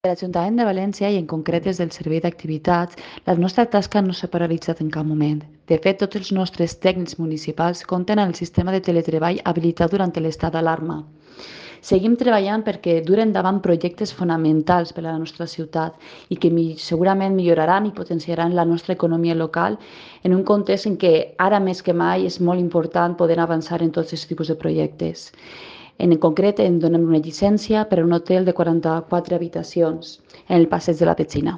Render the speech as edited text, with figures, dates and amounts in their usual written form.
Per l'Ajuntament de València i en concret des del Servei d'Activitats, la nostra tasca no s'ha paralitzat en cap moment. De fet, tots els nostres tècnics municipals compten amb el sistema de teletreball habilitat durant l'estat d'alarma. Seguim treballant perquè duren davant projectes fonamentals per a la nostra ciutat i que segurament milloraran i potenciaran la nostra economia local en un context en què ara més que mai és molt important poder avançar en tots aquests tipus de projectes. En concret, en donem una llicència per a un hotel de 44 habitacions en el passeig de la Petxina.